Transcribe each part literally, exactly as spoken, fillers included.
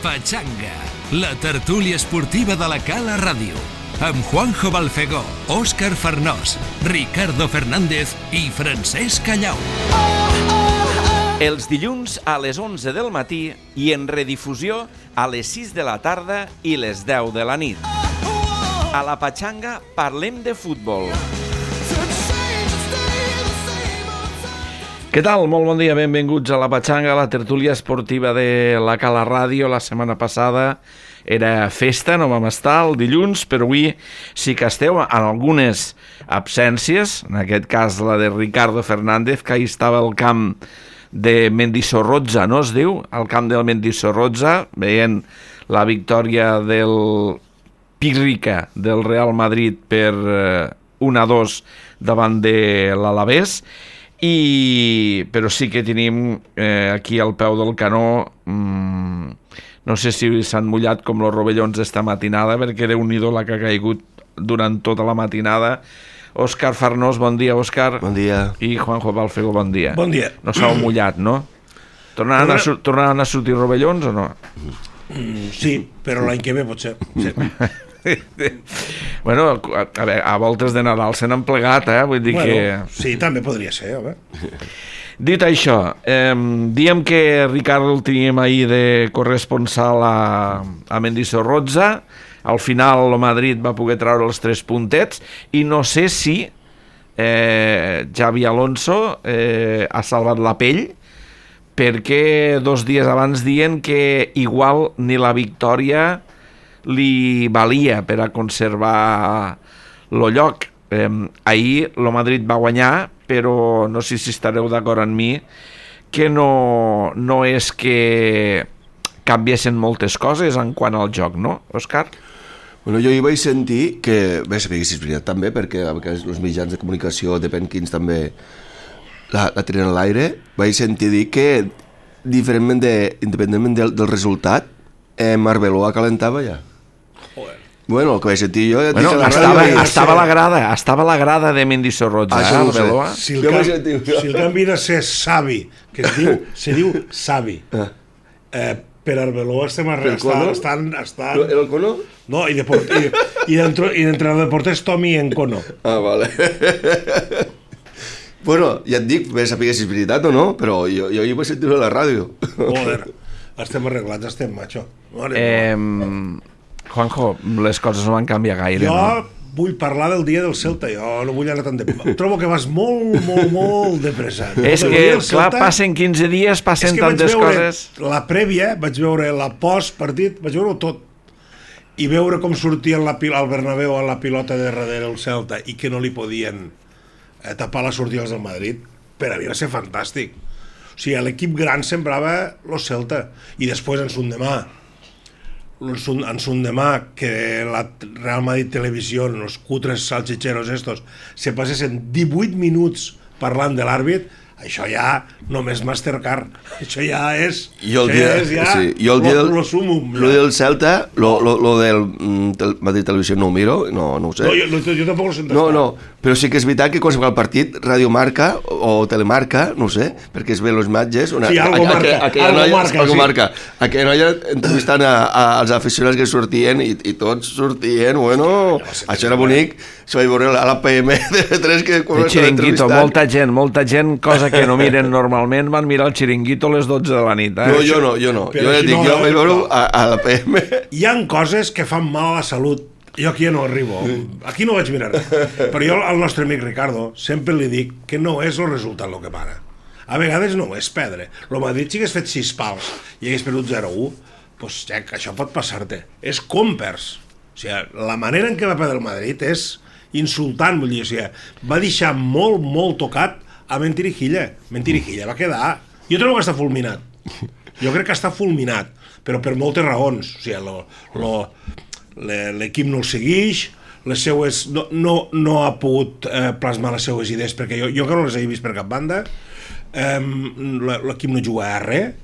Pachanga, la tertúlia esportiva de la Cala Ràdio, amb Juanjo Balfegó, Òscar Farnós, Ricardo Fernández i Francesc Callau. Els dilluns a les onze del matí i en redifusió a les sis de la tarda i les deu de la nit. A la Pachanga parlem de futbol. Què tal? Molt bon dia, benvinguts a la Pachanga, la tertúlia esportiva de la Cala Ràdio. La setmana passada era festa, no vam estar el dilluns, però avui sí que esteu en algunes absències, en aquest cas la de Ricardo Fernández, que ahir estava al camp de Mendizorroza, no es diu? Al camp del Mendizorroza, veient la victòria del Pírrica del Real Madrid per un a dos davant de l'Alavés. I però sí que tenim eh, aquí al peu del canó, mmm, no sé si s'han mullat com los rovellons esta matinada, perquè Déu-n'hi-do la que ha caigut durant tota la matinada. Òscar Farnós, bon dia, Òscar. Bon dia. I Juanjo Balfegó, bon dia. Bon dia. No s'heu mullat, no? Tornaran a, sur tornaran a sortir rovellons o no? Mm, sí, però l'any que ve potser. Sí. Bueno, a, a, veure, a voltes de Nadal se n'han plegat, eh? Vull dir bueno, que... Sí, també podria ser, home. Dit això, eh, diem que Ricardo el teníem ahir de corresponsal a, a Mendizorroza. Al final el Madrid va poder treure els tres puntets i no sé si eh, Xavi Alonso eh, ha salvat la pell, perquè dos dies abans diuen que igual ni la victòria li valia per a conservar el lloc. Eh, ahir el Madrid va guanyar, però no sé si estareu d'acord amb mi que no, no és que canviessin moltes coses en quant al joc, no, Òscar? Bueno, jo hi vaig sentir que, bé, sabia que si és veritat també, perquè a vegades els mitjans de comunicació, depèn quins també la, la tenen a l'aire, vaig sentir dir que diferentment de, independentment del, del resultat, eh, Arbeloa calentava ja. Joder. Bueno, el que vaig sentir jo... Ja bueno, la estava, ràdio, estava, a la grada, estava a la grada de Mendizorroza, ah, eh, no Arbeloa. Si el, can... si el canvi de ser Savi, que es diu, se diu Savi, ah. eh, per Arbeloa estem estan, estan, estan... Era el Cono? No, i, de port... I, i d'entrenador de porter és Tommy Encono. Ah, vale. Bueno, ja et dic, bé saber si és veritat o no, però jo, jo hi vaig sentir-ho a la ràdio. Joder, estem arreglats, estem, macho. Eh, Juanjo, les coses no van canviar gaire, jo no? vull parlar del dia del Celta, jo no vull anar tan de... Trobo que vas molt, molt, molt de pressa. És que, clar, passen quinze dies, passen tantes coses... La prèvia, vaig veure la post-partit, vaig veure tot. I veure com sortien la, al Bernabéu a la pilota de darrere el Celta i que no li podien eh, tapar les sortides del Madrid, per a mi va ser fantàstic. O sigui, l'equip gran sembrava el Celta. I després, en son demà, en son demà, que la Real Madrid Televisió, els cutres salchicheros estos, se passessin divuit minuts parlant de l'àrbit, això ja només Mastercard, això ja és jo el dia, és ja sí, jo el dia del, lo, lo sumum, lo del Celta, lo, lo, lo del tel, Madrid Televisió no ho miro, no, no ho sé. No, jo, jo tampoc ho sento. No, no, però sí que és veritat que quan se fa el partit, Radio Marca o Telemarca, no ho sé, perquè es ven les imatges... Una, sí, algo a, marca, a, a, algo noia, marca, algo sí. marca. Aquella noia entrevistant a, a, als aficionats que sortien i, i tots sortien, bueno, no, això era bonic, se vaig veure a la P M de tres que... El xiringuito, molta gent, molta gent, cosa que no miren normalment, van mirar el xiringuito a les dotze de la nit. Eh? No, jo no, jo no. Però jo ja si dic, no, jo vaig veure a, a la P M. Hi ha coses que fan mal a la salut. Jo aquí ja no arribo. Aquí no vaig mirar res. Però jo al nostre amic Ricardo sempre li dic que no és el resultat el que para. A vegades no és perdre. El Madrid si hagués fet sis pals i hagués perdut zero a u, doncs ja, això pot passar-te. És com perds. O sigui, la manera en què va perdre el Madrid és insultant, vull dir, o sigui, va deixar molt, molt tocat a Mentirijilla. Mentirijilla va quedar... Jo trobo que està fulminat. Jo crec que està fulminat, però per moltes raons. O sigui, lo, lo, l'equip no el segueix, les seues, no, no, no ha pogut eh, plasmar les seues idees, perquè jo, jo que no les he vist per cap banda, eh, l'equip no juga a res,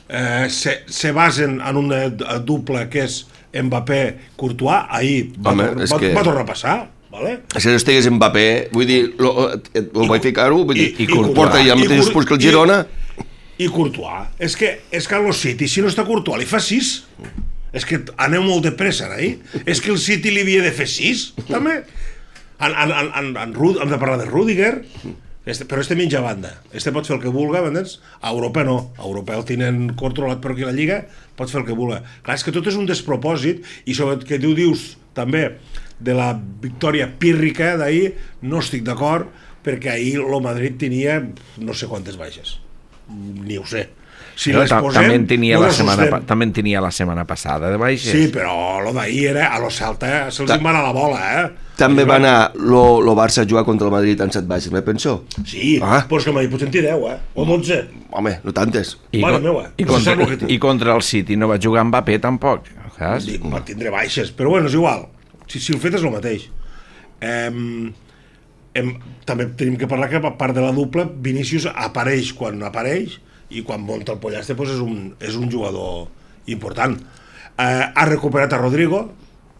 eh, se, se basen en una dupla que és Mbappé-Courtois, ahir va, Home, va, que... va tornar a passar. Vale? Si no estigués Mbappé, vull dir, lo, lo vaig ficar-ho, vull dir, i, i, i porta ja mateixos punts que el Girona. I, I Courtois. És que, és que a los City, si no està Courtois, li fa sis. És que aneu molt de pressa, eh? És que el City li havia de fer sis, també. En, en, en, en, en Rud, hem de parlar de Rüdiger, este, però este mitja banda. Este pot fer el que vulga, m'entens? A Europa no. A Europa el tenen controlat per aquí la Lliga, pot fer el que vulga. Clar, és que tot és un despropòsit, i sobre que tu dius també de la victòria pírrica d'ahir, no estic d'acord, perquè ahir el Madrid tenia no sé quantes baixes. Ni ho sé. Si no, les posem, també en tenia no la les setmana, sostem. també en tenia la setmana passada de baixes. Sí, però lo d'ahir era a lo Celta, se'ls Ta... va anar la bola, eh? També va anar lo, lo Barça a jugar contra el Madrid en set baixes, me penso. Sí, ah. Però és que el Madrid pot sentir deu, eh? O dotze. Home, no tantes. I, Mare meva, i, no contra, que I contra el City no va jugar Mbappé tampoc, saps? Dic, va tindre baixes, però bueno, és igual. Si, si el fet és el mateix. Em, em, també tenim que parlar que a part de la dupla, Vinícius apareix quan apareix, i quan munta el Pollaste doncs és, un, és un jugador important. Eh, ha recuperat a Rodrigo,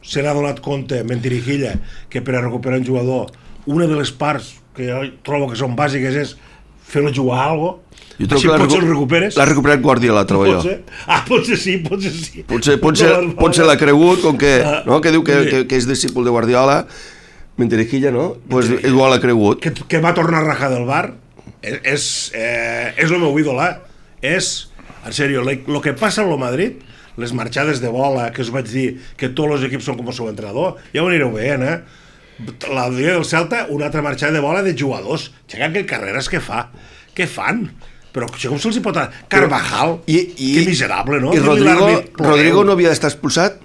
se n'ha donat compte, mentirijilla, que per a recuperar un jugador, una de les parts que jo trobo que són bàsiques és fer-lo jugar a alguna cosa. Jo trobo Així que potser el recuperes. L'ha recuperat Guardiola, trobo jo. Potser. Ah, potser sí, potser sí. Potser, potser, potser l'ha cregut, com que, no? que diu que, que, que és discípul de Guardiola, mentirijilla, no? Pues igual l'ha cregut. Que, que va tornar a rajar del bar. És, és, eh, és el meu ídol, eh? És, en sèrio, el que passa a lo Madrid, les marxades de bola, que us vaig dir que tots els equips són com el seu entrenador, ja ho anireu veient, eh? La dia del Celta, una altra marxada de bola de jugadors. Xeca, que carreres que fa. Què fan? Però com se'ls hi pot... Carvajal, I, i, que miserable, no? I Rodrigo, Rodrigo no havia d'estar expulsat?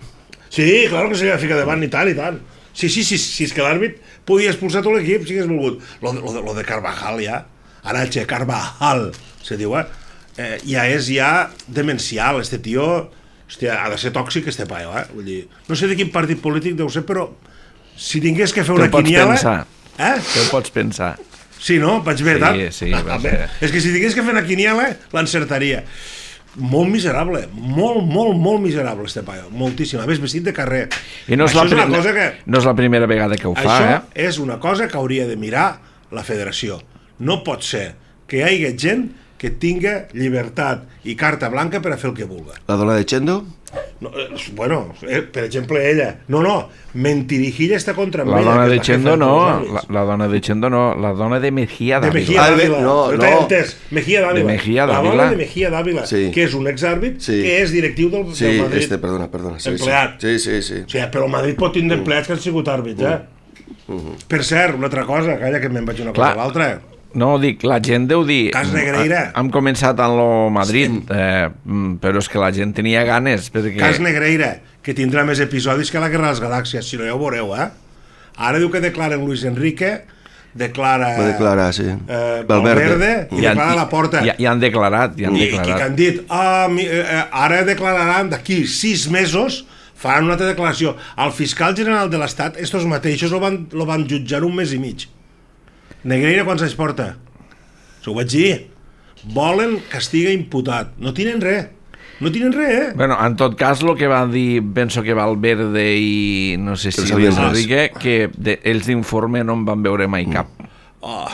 Sí, claro que se li va ficar davant, i tant, i tant. Sí, sí, sí, sí, és que l'àrbit podia expulsar tot l'equip, si hagués volgut. Lo, lo, lo de Carvajal, ja. Arache Carvajal, se diu, eh? eh? Ja és ja demencial, este tio... Hòstia, ha de ser tòxic, este paio, eh? Vull dir, no sé de quin partit polític deu ser, però si tingués que fer una quiniela... Te ho pots pensar. Eh? Te ho pots pensar. Sí, no? Vaig bé, tant? Sí, sí, vas bé. És que si tingués que fer una quiniela, l'encertaria. Molt miserable, molt, molt, molt miserable, este paio. Moltíssim. A més, vestit de carrer. I no és, Això la, és una prim... cosa que... no és la primera vegada que ho fa, Això eh? és una cosa que hauria de mirar la federació. No pot ser que hi hagi gent que tinga llibertat i carta blanca per a fer el que vulga. La dona de Chendo? No, eh, bueno, eh, per exemple, ella. No, no, Mentirijilla està contra la ella. Dona que de és la Chendo jefa no, dels la, la dona de Chendo no, la dona de Mejía De Dávila. Mejía Ah, Dávila. no, no, no. entès. Mejía Dávila. De Mejía La Dávila. dona de Mejía Dávila, Sí. que és un exàrbit, Sí. que és directiu del, Sí, del Madrid. este, perdona, perdona. Sí, Empleat. Sí, sí, sí. O sigui, però el Madrid pot tindre empleats que han sigut àrbits, eh? Uh-huh. Per cert, una altra cosa, calla que me'n vaig una cosa Clar. a l'altra. No, dic, la gent deu dir... Cas Negreira. Hem començat en lo Madrid, eh, però és que la gent tenia ganes, perquè... Cas Negreira, que tindrà més episodis que la Guerra de les Galàxies, si no ja ho veureu, eh? Ara diu que declaren Luis Enrique, declara... Va declarar, sí. Eh, Valverde. Valverde i Ja han- declara la porta. Ja, ja han declarat, ja han I, i que declarat. han dit, ah, mi, eh, ara declararan d'aquí sis mesos, faran una altra declaració. El fiscal general de l'Estat, estos mateixos lo van, lo van jutjar un mes i mig. Negreira quants anys porta? S'ho vaig dir. Volen que estigui imputat. No tenen res. No tenen res, eh? Bueno, en tot cas, el que va dir, penso que Valverde i no sé si Els sabien Luis res. Enrique, que de, ells d'informe no en van veure mai cap. Oh,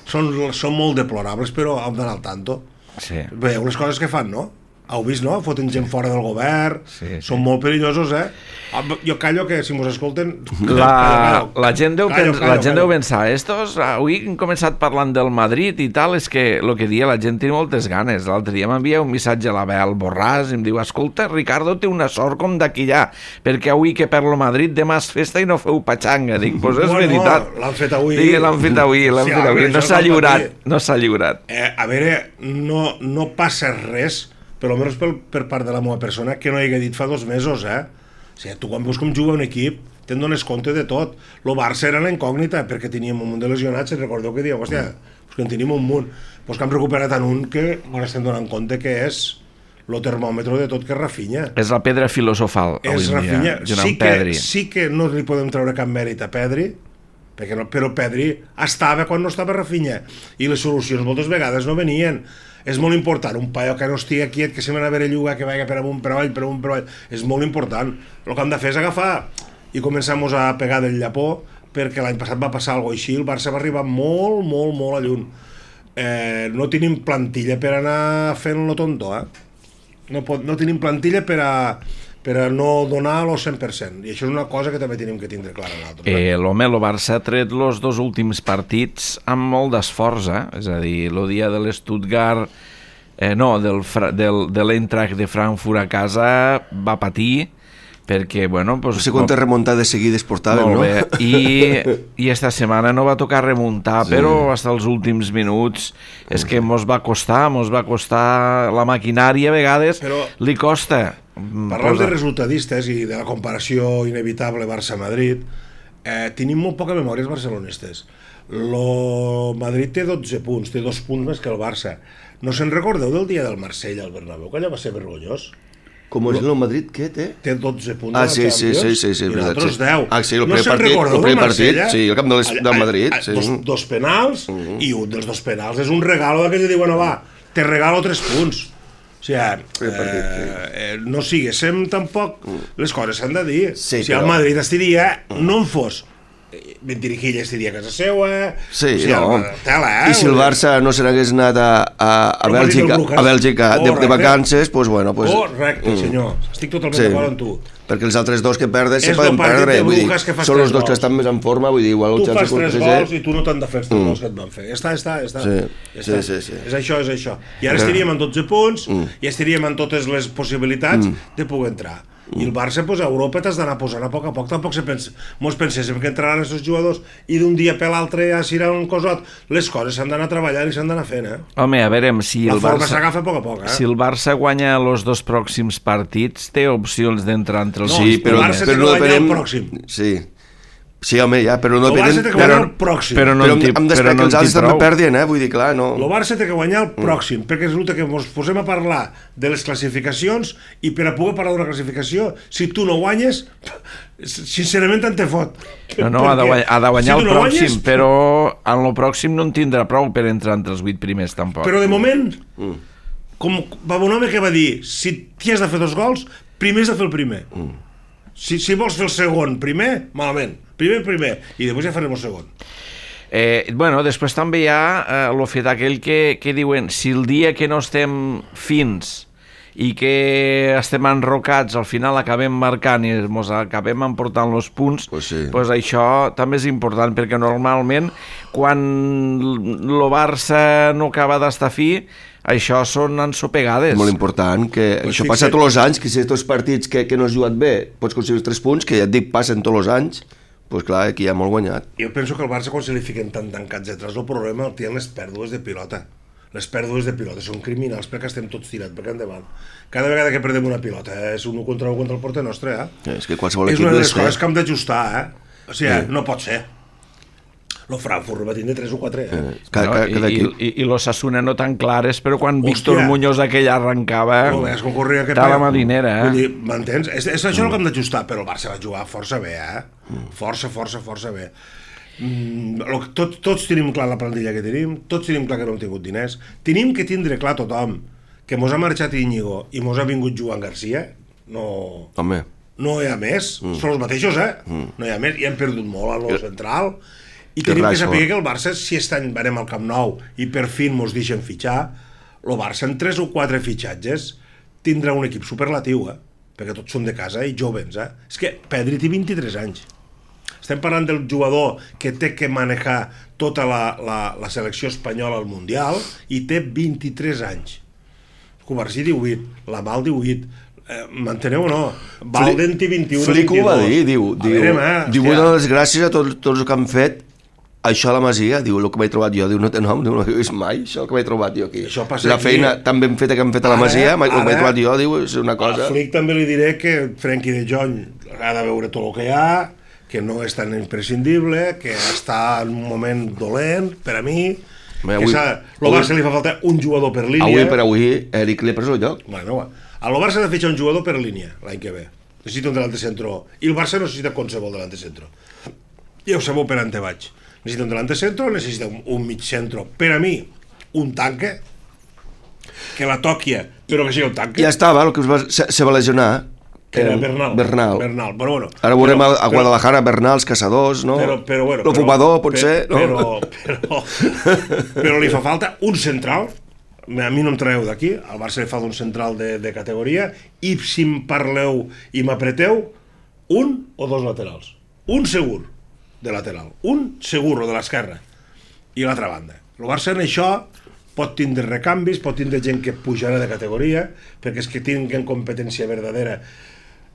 són, són molt deplorables, però hem d'anar al tanto. Sí. Veieu les coses que fan, no? Heu vist, no? Foten gent fora del govern. Sí, sí. Són molt perillosos, eh? Jo callo que si mos escolten... La, la gent deu, Callo, pens, callo, la gent callo. deu pensar, estos, avui hem començat parlant del Madrid i tal, és que el que dia la gent té moltes ganes. L'altre dia m'envia un missatge a la Bel Borràs i em diu, escolta, Ricardo té una sort com d'aquí allà, perquè avui que per lo Madrid demà és festa i no feu patxanga. Dic, doncs pues és Bueno, veritat. l'han fet avui. Dic, l'han fet avui, l'han Sí, fet avui. home, No això s'ha cal lliurat, patir. no s'ha lliurat. Eh, a veure, no, no passa res, per almenys per, per part de la meva persona, que no hi hagué dit fa dos mesos, eh? O sigui, tu quan veus com juga un equip, te'n dones compte de tot. Lo Barça era la incògnita, perquè teníem un munt de lesionats, i recordeu que dieu, hòstia, pues que en tenim un munt. Pues que hem recuperat en un que ens estem donant compte que és el termòmetre de tot, que és Rafinha. És la pedra filosofal, avui És en dia, Rafinha. junt Sí amb que, Pedri. sí que no li podem treure cap mèrit a Pedri, perquè no, però Pedri estava quan no estava Rafinha, i les solucions moltes vegades no venien. És molt important, un paio que no estigui quiet, que se m'ha a veure lluga, que vagi per amunt, per avall, per amunt, per avall, és molt important. El que hem de fer és agafar i començar a pegar del llapó, perquè l'any passat va passar alguna cosa així, el Barça va arribar molt, molt, molt a lluny. eh, no tenim plantilla per anar fent lo tonto, eh? No, pot, no tenim plantilla per a, per a no donar el cent per cent, i això és una cosa que també tenim que tindre clara nosaltres. Eh, l'home, el Barça ha tret els dos últims partits amb molt d'esforç, eh? És a dir, el dia de l'Stuttgart, eh, no, del, del, de l'Eintracht de Frankfurt a casa va patir, perquè, bueno... Pues, no sé quantes remuntades seguides portàvem, no? Bé. I, I esta setmana no va tocar remuntar, sí. Però fins als últims minuts és que mos va costar, mos va costar la maquinària, a vegades però, li costa. Parlant posa... de resultadistes i de la comparació inevitable Barça-Madrid, eh, tenim molt poca memòria els barcelonistes. Lo Madrid té dotze punts, té dos punts més que el Barça. No se'n recordeu del dia del Marsella al Bernabéu, que allò va ser vergonyós? Com és el Madrid, què té? Té dotze punts ah, a la sí, Champions sí, sí, sí, i nosaltres sí. deu. Ah, sí, el no primer se'n partit, recordeu el primer del Marsella? Partit, sí, el camp del, del Madrid. A, a, sí. dos, dos penals, uh -huh. I un dels dos penals és un regalo d'aquell que diuen, no va, te regalo tres punts. O sigui, eh, partit, sí. eh, no siguéssim tampoc, les coses s'han de dir. Sí, si però... el Madrid estiria, no en fos Mentirijilla estiria a casa seua, sí, o sigui, no. tela, eh? I si el Barça no se n'hagués anat a, a, a Bèlgica, a Bèlgica de, de vacances, pues bueno... Pues, correcte, senyor, estic totalment sí. d'acord amb tu. Perquè els altres dos que perden se és poden perdre, vull dir, que són els dos que estan més en forma, vull dir, igual... Tu fas tres gols i tu no t'han de fer els tres gols que et van fer. Ja està, ja està, ja està. Sí, ja sí, està. sí, sí. És això, és això. I ara estaríem en dotze punts, mm. i estaríem en totes les possibilitats mm. de poder entrar. I el Barça, pues, a Europa t'has d'anar posant a poc a poc. Tampoc se pensa, mos penséssim que entraran aquests jugadors i d'un dia per l'altre ja serà un cosot. Les coses s'han d'anar treballant i s'han d'anar fent, eh? Home, a veure, si la el forma Barça... s'agafa a poc a poc, eh? Si el Barça guanya els dos pròxims partits, té opcions d'entrar entre els... No, sí, però, el Barça té que guanyar el pròxim. Sí. Sí, home, ja, però no... El Barça té que guanyar el pròxim. Però, no però amb després que els altres també perdien, eh? Vull dir, clar, no... El Barça té que guanyar el pròxim, mm. perquè resulta que ens posem a parlar de les classificacions i per a poder parlar d'una classificació, si tu no guanyes, sincerament tant te fot. No, no, ha de guanyar, ha de guanyar si el no pròxim, guanyes, però en el pròxim no en tindrà prou per entrar entre els vuit primers, tampoc. Però de moment, mm. com va un home que va dir, si t'hi has de fer dos gols, primer has de fer el primer. Mm. Si, si vols fer el segon primer, malament. Primer, primer, i després ja farem el segon. Eh, bueno, després també hi ha eh, el fet aquell que, que diuen si el dia que no estem fins i que estem enrocats al final acabem marcant i ens acabem emportant els punts, pues sí. Pues això també és important, perquè normalment quan el Barça no acaba d'estar fi, això són ensopegades. Molt important, que pues això fixa... passa tots els anys, que si tots els partits que, que no has jugat bé pots aconseguir els tres punts, que ja et dic passen tots els anys, doncs pues clar, aquí ja molt guanyat. Jo penso que el Barça, quan se li fiquen tan tancats detrás, el problema el tenen les pèrdues de pilota. Les pèrdues de pilota són criminals perquè estem tots tirats perquè endavant. Cada vegada que perdem una pilota eh, és un u contra u contra el porter nostre, eh? eh és que qualsevol és equip una de les fer. coses que hem d'ajustar, eh? O sigui, eh. no pot ser. Lo Frankfurt va tindre tres o quatre, eh? eh cada, cada, cada no, I, i, i l'Osasuna no tan clares, però quan Hòstia. Víctor Muñoz aquell arrencava, estava marinera, eh? Vull dir, m'entens? És, és això mm. el que hem d'ajustar, però el Barça va jugar força bé, eh? Mm. Força, força, força bé. Mm, lo, tot, tots tenim clar la plantilla que tenim, tots tenim clar que no hem tingut diners, tenim que tindre clar tothom que mos ha marxat Íñigo i mos ha vingut Joan Garcia, no... Home. No hi ha més, mm. són els mateixos, eh? Mm. No hi ha més, i hem perdut molt a lo central... I tenim que saber que el Barça, si aquest any anem al Camp Nou i per fi mos deixen fitxar, el Barça en tres o quatre fitxatges tindrà un equip superlatiu, eh? Perquè tots són de casa i jovens, eh? És que Pedri té vint-i-tres anys. Estem parlant del jugador que té que manejar tota la, la, la selecció espanyola al Mundial i té vint-i-tres anys. Covarsí divuit, Lamal divuit, eh, m'enteneu o no? Valden té vint-i-un, Flick ho va dir, diu, diu, veure, eh, diu una de les gràcies a tots, tots els que han fet això a la Masia, diu, el que m'he trobat jo, diu, no té nom, diu, no he vist mai, això el que m'he trobat jo aquí. La feina aquí, tan ben feta que hem fet a la Masia, ara, el que m'he trobat jo, diu, és una cosa... A Flick també li diré que Frenkie de Jong ha de veure tot el que hi ha, que no és tan imprescindible, que està en un moment dolent, per a mi, Bé, avui, que el Barça li fa falta un jugador per línia... Avui per avui, Eric li ha pres el lloc. Bueno, a el Barça ha de fitxar un jugador per línia, l'any que ve. Necessita un delante centro, i el Barça necessita qualsevol delante centro. Ja ho sabeu per on te vaig. Necessita un delante centro, necessita un, un mig centro. Per a mi, un tanque, que la toquia, però que sigui un tanque. Ja estava, el que es va, se, se va lesionar, que era Bernal. Bernal. Bernal. Però, bueno, Ara veurem però, a Guadalajara, Bernal, els caçadors, no? Però, però, bueno, el fumador, potser, no? Però, però, però li fa falta un central. A mi no em traeu d'aquí, al Barça li fa un central de, de categoria, i si em parleu i m'apreteu, un o dos laterals. Un segur de lateral. Un segur, o de l'esquerra. I l'altra banda. El Barça en això pot tindre recanvis, pot tindre gent que pujarà de categoria, perquè és que tinguen competència verdadera.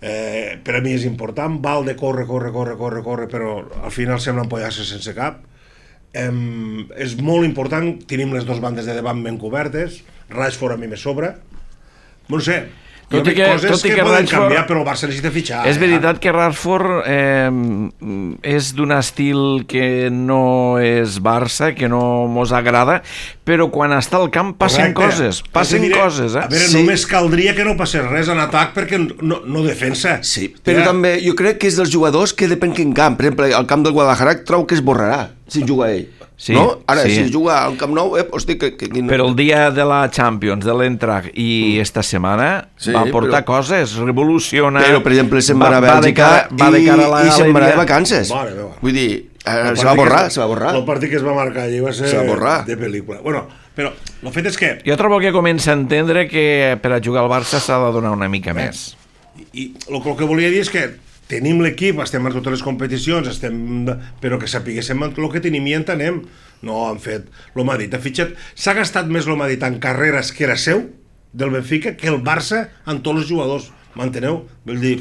Eh, per a mi és important. Valde corre, corre, corre, corre, corre, però al final sembla empollar-se sense cap. Eh, és molt important, tenim les dues bandes de davant ben cobertes, Rashford a mi me sobra, no sé, tot i que, coses tot i que, que poden Rashford, canviar, però el Barça necessita fitxar. És veritat que Rashford eh, és d'un estil que no és Barça, que no mos agrada, però quan està al camp passen Correcte. coses, passen diré, coses. Eh? A veure, sí. Només caldria que no passés res en atac perquè no, no defensa. Sí, però ja. també jo crec que és dels jugadors que depèn quin camp. Per exemple, al camp del Guadalajara trobo que es borrarà si juga ell. Sí, no? Ara, sí. si juga al Camp Nou, eh, hosti, que, que, que no... Però el dia de la Champions, de l'Eintracht i mm. esta setmana sí, va portar però... coses, revoluciona... Però, per exemple, se'n va, va a Bèlgica va de cara, va de i, i se'n va de vacances. Vale, vale. Vull dir, eh, se va borrar, se va borrar. El partit que es va marcar allí va ser de pel·lícula. Bueno, però el fet és que... Jo trobo que comença a entendre que per a jugar al Barça s'ha de donar una mica eh. més. I el, el que volia dir és que tenim l'equip, estem a totes les competicions, estem, però que sapiguéssim el que tenim i entenem. No han fet el Madrid, ha fitxat, s'ha gastat més el Madrid en carreres que era seu, del Benfica, que el Barça en tots els jugadors, m'enteneu? Vull dir,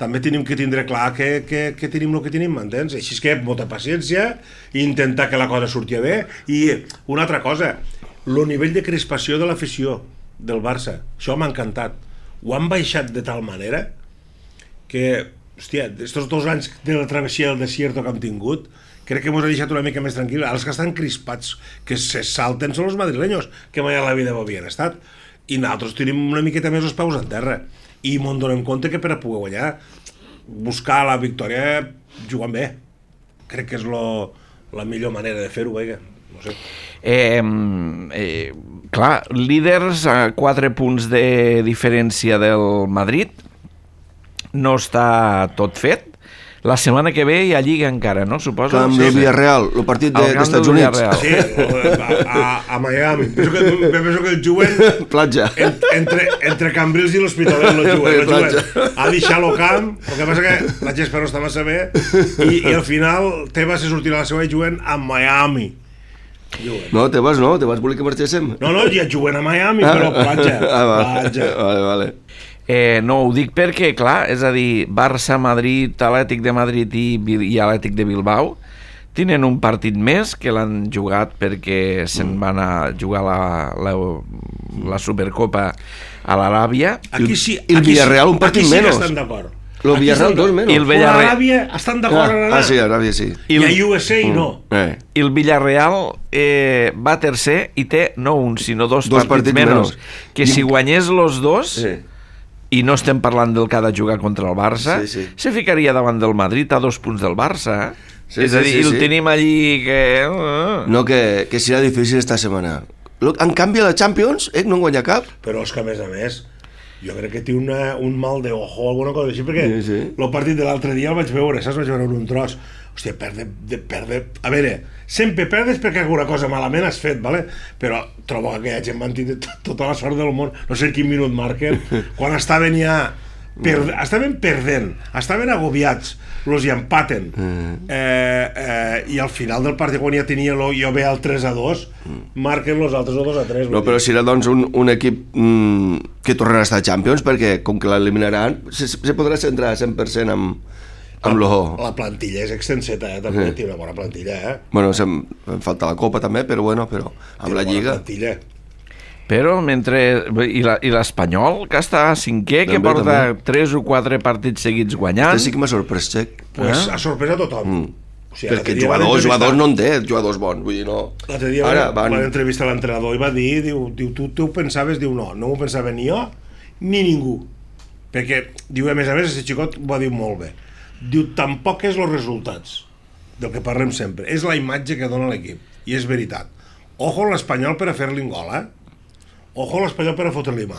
també tenim que tindre clar que, que, que tenim el que tenim, m'entens? Així és que molta paciència, i intentar que la cosa surti bé, i una altra cosa, el nivell de crispació de l'afició del Barça, això m'ha encantat, ho han baixat de tal manera que, hòstia, estos dos anys de la travessia del desierto que hem tingut, crec que ens ha deixat una mica més tranquil. Els que estan crispats, que se salten, són els madrileños, que mai a la vida ho havien estat. I nosaltres tenim una miqueta més els peus en terra. I m'en donem compte que per a poder guanyar, buscar la victòria jugant bé. Crec que és lo, la millor manera de fer-ho, vaja. No sé. Eh, eh, clar, líders a quatre punts de diferència del Madrid, no està tot fet. La setmana que ve hi ha Lliga encara, no? Suposo. Camp del Villarreal, el partit dels de, Estats Units. Sí, a, a, a Miami. Penso que, penso que el juguen... Platja. En, entre, entre Cambrils i l'Hospitalet el juguen. El juguen. Ha deixat el camp, el que passa que la gespa no està massa bé, i, i al final Tebas se sortirà a la seva i juguen a Miami. Juguen. No, Tebas no, Tebas volia que marxéssim. No, no, ja juguen a Miami, ah. però platja. Ah, va. Platja. Vale, vale. Eh, no, ho dic perquè, clar, és a dir, Barça, Madrid, Atlètic de Madrid i, i Atlètic de Bilbao tenen un partit més que l'han jugat perquè se'n van a jugar la, la, la Supercopa a l'Aràbia. Aquí sí, i el Villarreal un partit sí menys. Aquí sí estan d'acord. El Villarreal dos menys. I el Villarreal... L'Aràbia estan d'acord ah, en anar. Ah, sí, Aràbia sí. I, I a U S A mm. no. Eh. I el Villarreal eh, va tercer i té no un, sinó dos, dos partits, partits menys. menys. Que I... si guanyés los dos... Sí. I no estem parlant del que ha de jugar contra el Barça, sí, sí. se ficaria davant del Madrid a dos punts del Barça. Sí, és sí, a dir, sí, el sí. tenim allí que... No, que, que serà difícil esta setmana. En canvi, a la Champions, eh, no en guanya cap. Però és que, a més a més, jo crec que té una, un mal de ojo, alguna cosa així, perquè sí, sí. el partit de l'altre dia el vaig veure, saps? Vaig veure un tros. Hòstia, perde, de, perde... A veure, sempre perdes perquè alguna cosa malament has fet, vale? Però trobo que aquella gent van tenir tota la sort del món, no sé quin minut marquen, quan estaven ja... Per... Estaven perdent, estaven agobiats, los hi empaten. Eh, eh, I al final del partit, quan ja tenia lo, jo ve al tres a dos, marquen los altres o dos a tres. No, però serà doncs un, un equip mm, que tornarà a estar a Champions, perquè com que l'eliminaran, se, se podrà centrar cent per cent amb... Amb la, la plantilla és extenseta, eh? També sí. Té una bona plantilla, eh? Bueno, em, em falta la Copa també, però bueno, però amb té la Lliga... Plantilla. Però mentre... I l'Espanyol, que està cinquè, també, que porta també. tres o quatre partits seguits guanyant... Este sí que m'ha sorprès, Xec. Pues eh? Ha sorprès a tothom. Mm. O sigui, perquè jugadors, jugadors no en té, jugadors bons, vull dir, no... L'altre dia Ara, van, van entrevistar l'entrenador i va dir, diu, diu tu, tu ho pensaves? Diu, no, no ho pensava ni jo ni ningú. Perquè, diu, a més a més, aquest xicot ho va dir molt bé. Diu, tampoc és els resultats del que parlem sempre, és la imatge que dona l'equip, i és veritat. Ojo l'Espanyol per a fer-li un gol, eh? Ojo l'Espanyol per a fotre-li mà.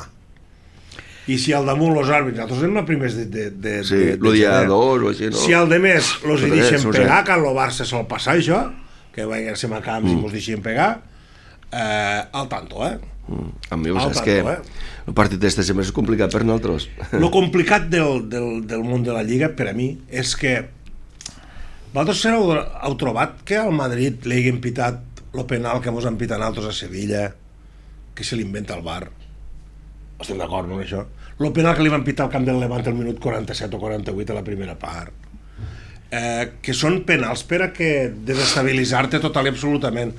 i si al damunt els àrbits, nosaltres anem els primers de... de, de Sí, de, el dia dos o així, no? Si al de més els hi Res, deixen no sé. pegar, que al Barça se'l passa això, que vagin a camps i mos deixen pegar, eh, al tanto, eh? Mm. A mi, Al és tanto, que eh? el partit este sempre és complicat per nosaltres. Lo complicat del, del, del món de la Lliga, per a mi, és que vosaltres heu, heu trobat que al Madrid li hagin pitat el penal que mos han pitat altres a Sevilla, que se l'inventa el V A R. Estem d'acord, no, amb això? El penal que li van pitar al camp del Levante al minut quaranta-set o quaranta-vuit a la primera part. Eh, que són penals per a que desestabilitzar-te total i absolutament.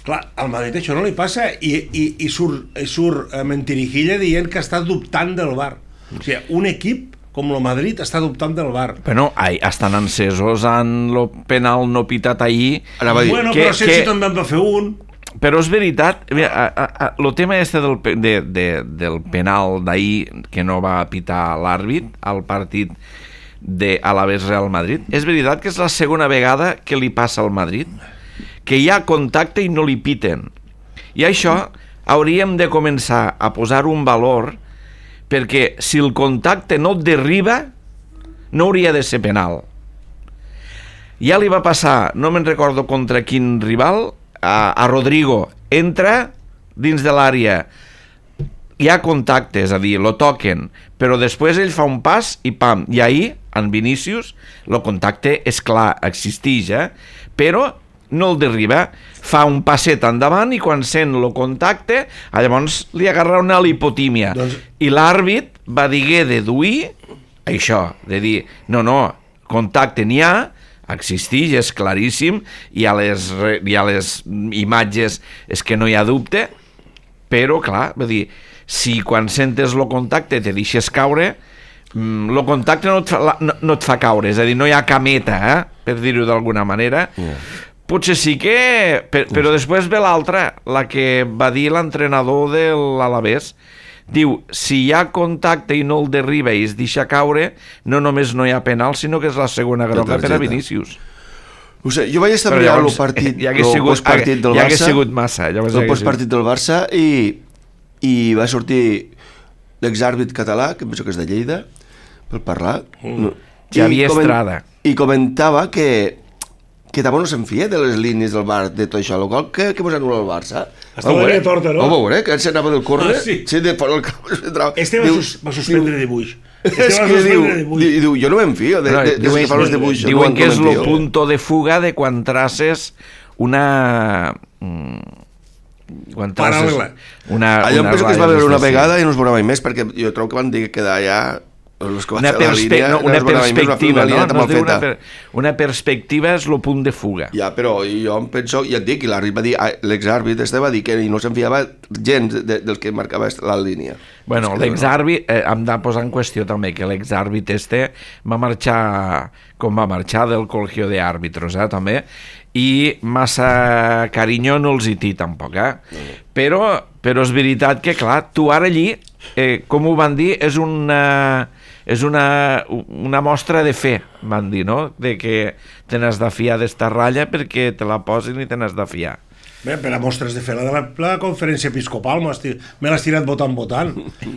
Clar, al Madrid això no li passa i, i, i surt, i surt eh, Mentirijilla dient que està dubtant del V A R. O sigui, un equip com el Madrid està dubtant del V A R. Bueno, ai, estan encesos en el penal no pitat ahir. Anava a dir, Bueno, que- però Sensi que- també en va fer un. Però és veritat, el tema este del, pe- de, de, del penal d'ahir que no va pitar l'àrbit al partit de Alavés Real Madrid, és veritat que és la segona vegada que li passa al Madrid, que hi ha contacte i no li piten. I això hauríem de començar a posar un valor, perquè si el contacte no et derriba, no hauria de ser penal. Ja li va passar, no me'n recordo contra quin rival, a, a Rodrigo, entra dins de l'àrea, hi ha contacte, és a dir, lo toquen, però després ell fa un pas i pam, i ahir, en Vinícius, el contacte és clar, existeix, eh? Però no el derriba, fa un passet endavant i quan sent el contacte, llavors li agarra una lipotímia. Doncs- I l'àrbit va diguer deduir això, de dir, no, no, contacte n'hi ha, existeix, és claríssim, hi ha les, re- hi ha les imatges, és que no hi ha dubte, però, clar, vull dir, si quan sentes el contacte te deixes caure, el contacte no et, fa, la- no, no et fa caure, és a dir, no hi ha cameta, eh? Per dir-ho d'alguna manera. Yeah. Potser sí que... Per, però després ve l'altra, la que va dir l'entrenador de l'Alavés. Diu, si hi ha contacte i no el derriba i es deixa caure, no només no hi ha penal, sinó que és la segona groga per a Vinícius. O sigui, jo vaig estar Però mirant el llavors, partit, ja hagués el sigut- postpartit del ja Barça, hagués sigut massa, llavors ja el hagués postpartit del Barça i, i va sortir l'exàrbit català, que penso que és de Lleida, per parlar. Mm. Xavier Estrada. I comentava que que tampoc no se'n fia de les línies del Bar, de tot això, el gol que, que mos anul·la el Barça. Està la línia torta, no? Ho veure, que se anava del córner, Ah, sí. sí, de fora del camp. Este va, sus, va suspendre dibuix. Este És va que diu, suspendre dibuix. diu, diu, jo no me'n fio de, No, de, de, de diuen, que fa els dibuixos. diuen no que és me'n el fio. punto de fuga de quan traces una... mm, Quan traces Paral·lela. una, Allò em una penso que es va ratlla veure una des de- vegada i no es veurà mai més, perquè jo trobo que van dir que quedar allà els que van una, fer la perspe línia, no, una es veurà mai més, va fer perspectiva, una no? línia no mal es diu una, feta. per, una perspectiva és el punt de fuga. Ja, però jo em penso, ja et dic, i l'àrbit va dir, ah, l'exàrbit este va dir que no se'n fiava gens de, del que marcava la línia. Bueno, És que l'exàrbit, eh, hem de posar en qüestió també que l'exàrbit este va marxar com va marxar del col·legio de àrbitros, eh, també, i massa carinyo no els hi té tampoc, eh? Però, però és veritat que, clar, tu ara allí, eh, com ho van dir, és una, és una, una mostra de fe, van dir, no?, de que te n'has de fiar d'esta ratlla perquè te la posin i te n'has de fiar. Bé, per a mostres de fer la de la, la conferència episcopal m'ho has tir- me l'has tirat votant votant,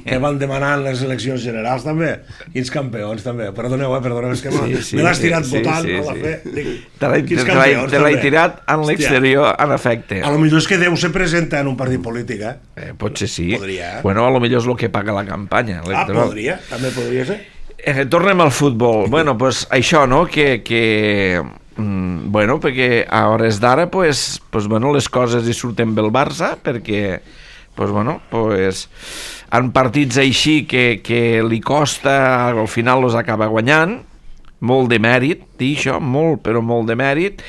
que van demanar en les eleccions generals també, quins campions també, perdoneu, eh, perdoneu, és que Sí, sí, me l'has tirat sí, votant, sí, no la sí. fe. Dic, Te l'he quins te l'he- campions, te l'he també. tirat en Hòstia, l'exterior, en efecte. a lo millor és que Déu se presenta en un partit polític, eh? Eh, potser sí. Podria, eh? Bueno, a lo millor és el que paga la campanya Ah, electoral. podria, també podria ser. Eh, tornem al futbol. Bueno, pues això, no?, que... que mm, bueno, perquè a hores d'ara, pues, pues, bueno, les coses hi surten bé el Barça, perquè, pues, bueno, pues, en partits així que, que li costa, al final els acaba guanyant, molt de mèrit, dir això, molt, però molt de mèrit,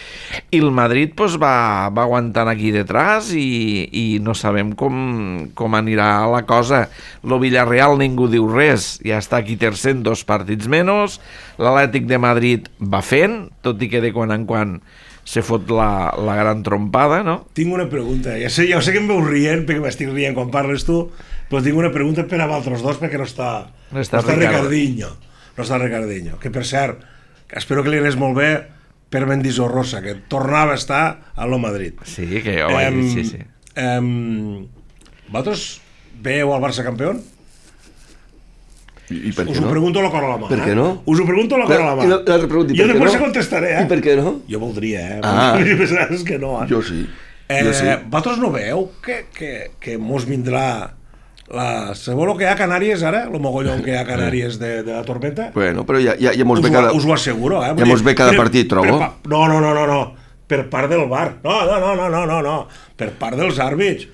i el Madrid pues, va, va aguantant aquí detrás i, i no sabem com, com anirà la cosa. Lo Villarreal ningú diu res, ja està aquí tercer en dos partits menys, l'Atlètic de Madrid va fent, tot i que de quan en quan se fot la, la gran trompada, no? Tinc una pregunta, ja sé, ja sé que em veus rient, perquè m'estic rient quan parles tu, però tinc una pregunta per a vosaltres dos, perquè no està, No està no està Ricardo. Ricardinho. No està Ricardinho, que per cert, espero que li anés molt bé per Mendizorrosa, que tornava a estar a lo Madrid. Sí, que jo vaig dir, sí, sí. Em, vosaltres veieu el Barça campió? I, i per Us què ho no? pregunto a la cor a la mà. Per què no? Eh? Us ho pregunto a la cor a la mà. I l'altre pregunta, i jo per què després no? contestaré, eh? I per què no? Jo voldria, eh? Ah. És que no, eh? Jo sí. Eh, Jo sí. vosaltres no veieu que, que, que mos vindrà la... Sabeu el que hi ha a Canàries ara? El mogollon que hi ha a Canàries de, de la tormenta? Bueno, però ja, ja, ja mos Us, ve ho, cada... us ho asseguro, eh? Vull Ja mos dir, ve cada per- partit, trobo. per pa- No, no, no, no, no. Per part del bar. No, no, no, no, no, no, no. Per part dels àrbits.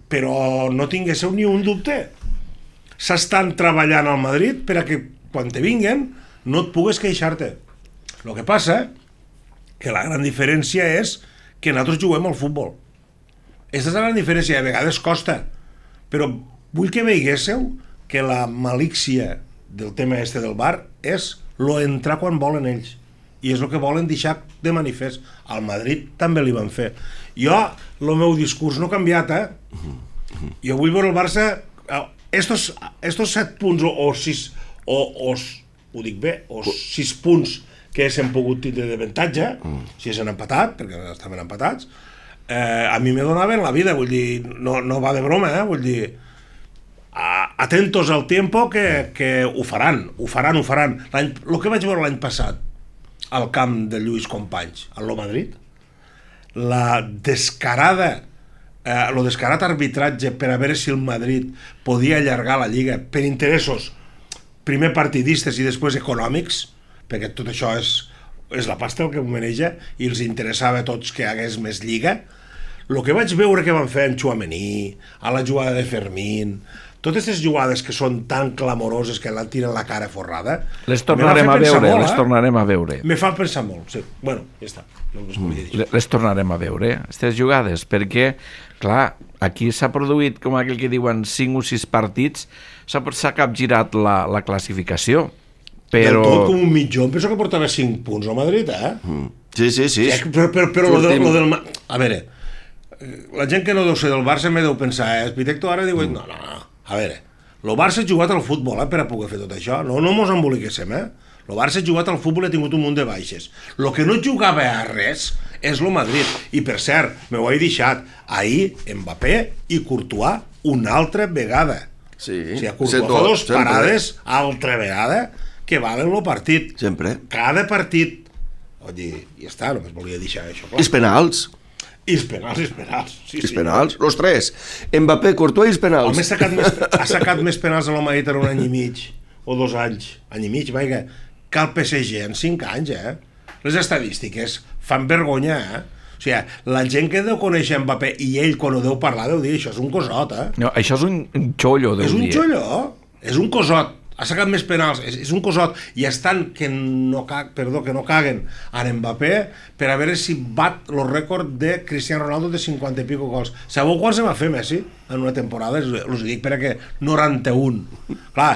Però no tinguéssiu ni un dubte. S'estan treballant al Madrid per a que quan te vinguen no et pugues queixar-te. El que passa que la gran diferència és que nosaltres juguem al futbol. Aquesta és la gran diferència, a vegades costa, però vull que veiguéssiu que la malícia del tema este del bar és lo entrar quan volen ells, i és el que volen deixar de manifest. Al Madrid també li van fer. Jo, el meu discurs no ha canviat, eh? Jo vull veure el Barça... Estos, estos set punts o, o sis, o, o, ho dic bé, o sis punts que s'han pogut tindre d'avantatge, mm. si s'han empatat, perquè estaven empatats, eh, a mi me donaven la vida, vull dir, no, no va de broma, eh, vull dir, a, atentos al tiempo que, que ho faran, ho faran, ho faran. El que vaig veure l'any passat al camp de Lluís Companys, al Lo Madrid, la descarada eh, el descarat arbitratge per a veure si el Madrid podia allargar la Lliga per interessos primer partidistes i després econòmics, perquè tot això és, és la pasta el que ho maneja i els interessava a tots que hagués més Lliga. El que vaig veure que van fer en Tchouaméni, a la jugada de Fermín, totes aquestes jugades que són tan clamoroses que l'han tirat la cara forrada, les tornarem a veure, molt, les eh? tornarem a veure. Me fa pensar molt, sí. Bueno, ja està. No us volia dir. Les tornarem a veure, aquestes jugades, perquè, clar, aquí s'ha produït, com aquell que diuen, cinc o sis partits, s'ha capgirat la, la classificació. Però... Del tot com un mitjó, penso que portava cinc punts al Madrid, eh? Mm. Sí, sí, sí. Sí, però però, però lo, de, lo del... A veure, la gent que no deu ser del Barça me deu pensar, eh? Espitecto ara diu, no, no, no, a veure, el Barça ha jugat al futbol, eh, per a poder fer tot això, no, no mos emboliquéssim, eh? El Barça ha jugat al futbol i ha tingut un munt de baixes. El que no jugava a res és el Madrid. I per cert, m'ho he deixat, ahir Mbappé i Courtois una altra vegada. Sí, o sigui, Courtois fa dos parades altra vegada que valen el partit. Sempre. Cada partit. Oi, ja està, només volia deixar això clar. I els penals. I els penals, i els penals. Sí, I els sí. penals, los tres. Mbappé, Courtois i els penals. Home, ha sacat més, ha sacat més penals a la Madrid en un any i mig, o dos anys, any i mig, vaja, que el P S G en cinc anys, eh? Les estadístiques fan vergonya, eh? O sigui, la gent que deu conèixer Mbappé i ell, quan ho deu parlar, deu dir, això és un cosot, eh? No, això és un, un xollo, deu És un dir. xolló, és un cosot. Ha sacat més penals, és, és un cosot, i estan que no, perdó, que no caguen en Mbappé per a veure si bat el rècord de Cristiano Ronaldo de cinquanta i pico gols. Sabeu quan se va fer Messi en una temporada? Us dic per a que noranta-un. Clar,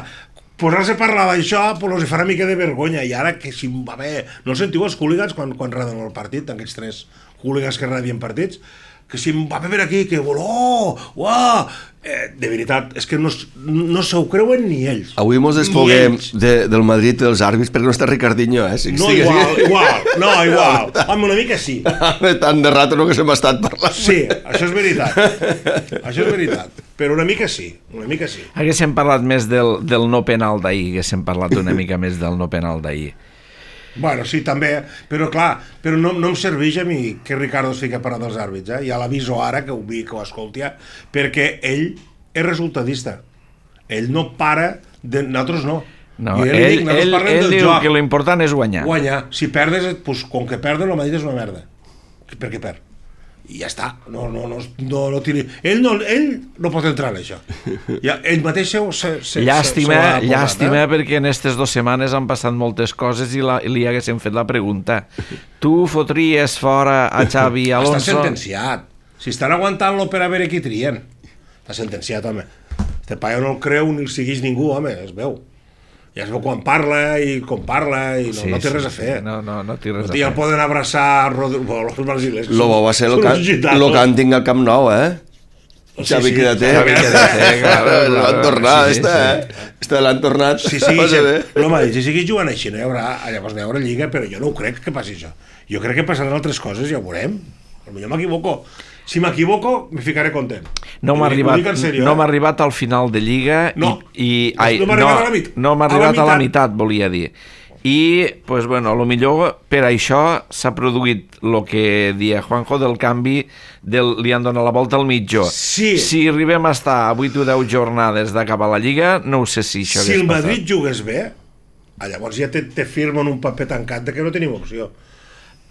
posar-se a parlar d'això pues, els farà mica de vergonya, i ara que si Mbappé... No sentiu els hooligans quan, quan raden el partit, aquests tres hooligans que radien partits? Que si Mbappé per aquí, que voló, uah... Eh, de veritat, és que no, no se ho creuen ni ells. Avui mos desfoguem de, del Madrid i dels àrbits perquè no està Ricardinho, eh? Si No, estigui igual, així. igual, no, igual. Home, una mica sí. Tant de rato no que se m'ha estat parlant. Sí, això és veritat. Això és veritat. Però una mica sí, una mica sí. Haguéssim parlat més del, del no penal d'ahir, haguéssim parlat una mica més del no penal d'ahir. Bueno, sí, també, però clar, però no, no em serveix a mi que Ricardo es fica a parar dels àrbits, eh? Ja l'aviso ara, que ho vi, que ho escolti, perquè ell és resultadista. Ell no para, de... nosaltres no. No, I ell, dic, nosaltres ell, parlem ell del diu joc. que l'important és guanyar. Guanyar. Si perdes, pues, com que perden, el Madrid és una merda. Per què perd? I ja està, no, no, no, no, no tiri... ell, no, ell no pot entrar en això, ja, ell mateix se, se, se, llàstima, se, se llàstima eh? perquè en aquestes dues setmanes han passat moltes coses i, la, i li haguéssim fet la pregunta, tu fotries fora a Xavi Alonso? Està sentenciat, si estan aguantant-lo per a veure qui trien, està sentenciat, home, este paio no el creu ni el segueix ningú, home, es veu. Ja es veu quan parla i com parla i no, Sí, no té sí, res a fer. no, no, no té res no, a ja fer. el poden abraçar Rodri... bueno, els brasilers. Lo bo va ser el, són can, uns gitanos. lo cànting al Camp Nou, eh? Sí, Xavi sí, quédate. Xavi quédate, claro, L'han claro. tornat, Sí, sí, esta, sí. eh? Esta l'han tornat. Sí, sí, Va sí. ser bé. L'home ha dit, si seguís jugant així, no hi haurà, llavors no hi haurà Lliga, però jo no ho crec que passi això. Jo crec que passaran altres coses, ja ho veurem. Potser m'equivoco. Si m'equivoco, me ficaré content. no m'ha arribat, serio, no eh? m'ha arribat al final de Lliga no, i, i ai, no m'ha arribat a la mit- no m'ha a la arribat a la meitat. meitat, volia dir. I, pues, bueno, a lo millor per això s'ha produït el que dia Juanjo del canvi, del, li han donat la volta al mitjó. Sí. Si arribem a estar a vuit o deu jornades d'acabar la Lliga, no ho sé si això si hagués el Madrid passat. jugués bé, llavors ja te, te firmen un paper tancat de que no tenim opció.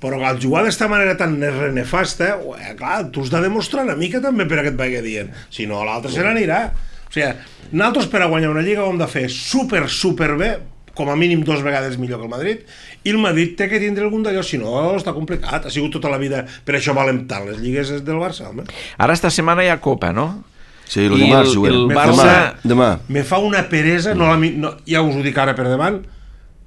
Però al jugar d'esta manera tan renefasta, ué, clar, tu has de demostrar una mica també per a que et vagi dient. Si no, l'altre se n'anirà. O sigui, nosaltres per a guanyar una Lliga ho hem de fer super, super bé, com a mínim dos vegades millor que el Madrid, i el Madrid té que tindre algun d'allò, si no està complicat, ha sigut tota la vida, per això valen tant les lligues del Barça, home. Ara esta setmana hi ha Copa, no? Sí, el I dimarts el- juguem. el Demà, Barça- demà. Me fa una peresa, no la, mi- no, ja us ho dic ara per davant,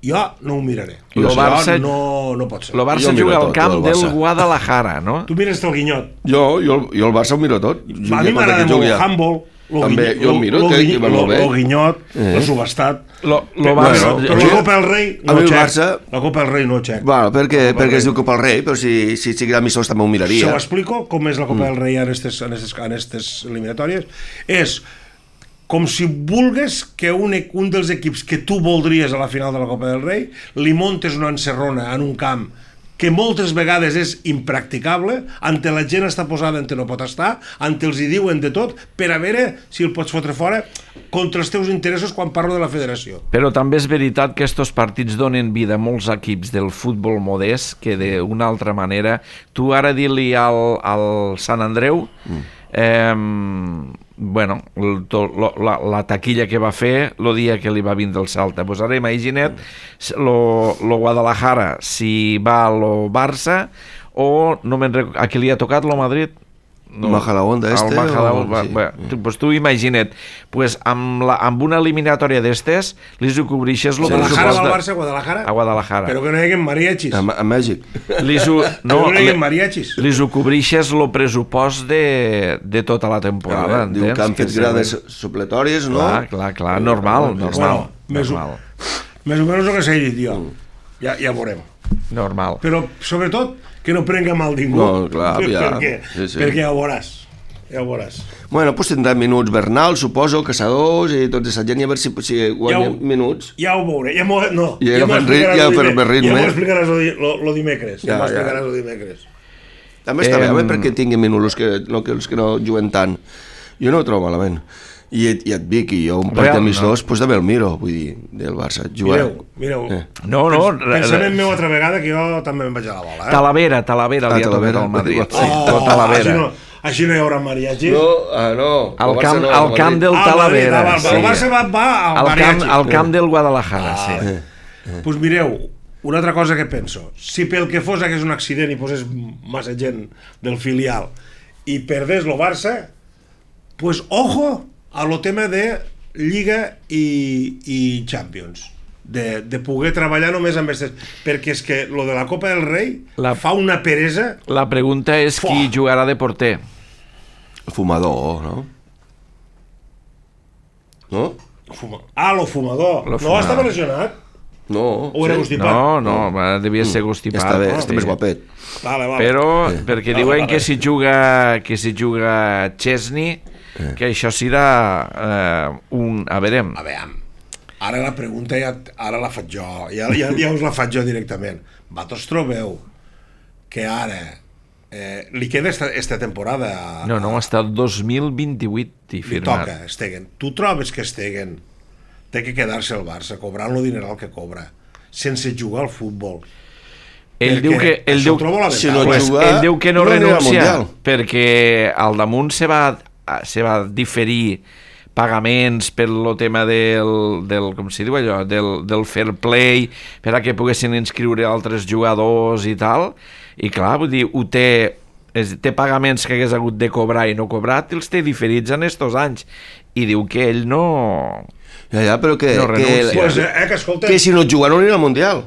jo no ho miraré. Lo Això Barça- no, no pot ser. El Barça Jo miro juga al tot, camp el del Barça. Guadalajara, no? Tu mires el Guinyot. Jo, jo, jo el Barça ho miro tot. A mi m'agrada molt el handball, lo També, guinyot, jo el miro, lo, que- guinyot, que va molt bé. lo guinyot, Eh. el subestat. Lo, lo Però, Barça... Bueno, però jo- la Copa del Rei a no mi el xec. Barça- La Copa del Rei no xec. Bueno, perquè, Copa del perquè es Rei. diu Copa del Rei, però si, si sigués amistós també ho Se ho miraria. explico com és la Copa del Rei en aquestes, en aquestes, en aquestes eliminatòries. És com si vulgues que un, un dels equips que tu voldries a la final de la Copa del Rei li montes una encerrona en un camp que moltes vegades és impracticable, ante la gent està posada ante no pot estar, ante els hi diuen de tot, per a veure si el pots fotre fora contra els teus interessos quan parlo de la federació. Però també és veritat que estos partits donen vida a molts equips del futbol modest que d'una altra manera... Tu ara dir-li al, al Sant Andreu... Mm. Eh, bueno, el, to, lo, la, la taquilla que va fer el dia que li va vindre el Salta. Pues ara imagina't lo, lo Guadalajara, si va a lo Barça o no me'n rec... a qui li ha tocat lo Madrid? No. Majadahonda este? El Majadahonda, o... sí. va, tu, pues tu imagina't, pues amb, la, amb una eliminatòria d'estes li ho cobreixes el Guadalajara va al de... Barça, Guadalajara? A Guadalajara. Però que no hi hagi mariachis. A, a Mèxic. Li ho, No, no, no hi li, hagi mariachis. li ho cobreixes el pressupost de, de tota la temporada, Clar, diu entens? que han fet se- grades supletòries, no? Clar, clar, clar, normal, normal, Bueno, més o- normal, Més o menys el que s'ha dit jo. Ja, ja veurem. normal. Però, sobretot, que no prenga mal ningú. No, clar, ja. Perquè, Sí, sí. perquè ja ho veuràs. Ja ho veuràs. Bueno, doncs tindran minuts Bernal, suposo, Caçadors i tota aquesta gent, i a veure si, si guanyen Ja ho- minuts. Ja ho veuré. Ja m'ho, no, Ja ja m'ho agafen rit- explicaràs ja lo per- dime- per ritme. Ja m'ho explicaràs lo, di- lo, lo dimecres. Ja, Ja, m'ho ja. explicaràs lo dimecres. També està bé, Em- home, perquè tinguin minuts els que, no, que els que no juguen tant. Jo no ho trobo malament. I, et- i et dic, i jo un partit Real, amistós, doncs també el miro, vull dir, del Barça. Jugar... Mireu, mireu. Eh. No, no, re- Pensament re- meu altra vegada que jo també me'n vaig a la bola. Eh? Talavera, Talavera Ah, li ha tocat Talavera. al Madrid. Oh, Sí, Oh, tot Talavera. Així no, així no hi haurà mariachis. No, ah, no. Al el camp, Barça no, al el camp Madrid. del Ah, el Madrid, Talavera. ah, va, el Barça va, va al al camp, mariachi. al camp del Guadalajara, Ah, sí. Doncs pues mireu, una altra cosa que penso. Si pel que fos hagués un accident i posés massa gent del filial i perdés lo Barça, pues ojo a lo tema de Lliga i, i Champions. De, de poder treballar només amb aquestes... Perquè és que lo de la Copa del Rei La- fa una peresa... La pregunta és Fuà. qui jugarà de porter. El fumador, no? No? Fuma... Ah, lo fumador. Lo no fumador. estava lesionat? No. O era constipat? No, no, va, devia ser constipat. Està bé, no? està més guapet. Vale, vale. Però, Eh. perquè Vale, diuen vale. que si juga que si juga Chesney, que això serà eh, un... A veure, A veure, ara la pregunta ja, ara la faig jo, ja, ja, ja us la faig jo directament. Vosaltres trobeu que ara eh, li queda esta, esta temporada a, no, no, està el dos mil vint-i-vuit i li firmat. toca Stegen. Tu trobes que Stegen té que quedar-se al Barça cobrant lo dineral que cobra sense jugar al futbol? Ell Perquè diu que ell això diu, ho trobo lamentable. si no pues, juga, ell diu que no, no anirà al renuncia Mundial. perquè al damunt se va, se va diferir pagaments per lo tema del, del com s'hi diu allò, del, del fair play, per a que poguessin inscriure altres jugadors i tal, i clar, vull dir, ho té, és, té pagaments que hagués hagut de cobrar i no cobrat, i els té diferits en estos anys, i diu que ell no... Ja, ja, però que... No que, renuncia. Pues, eh, que escolta... que si no juga no anirà al Mundial.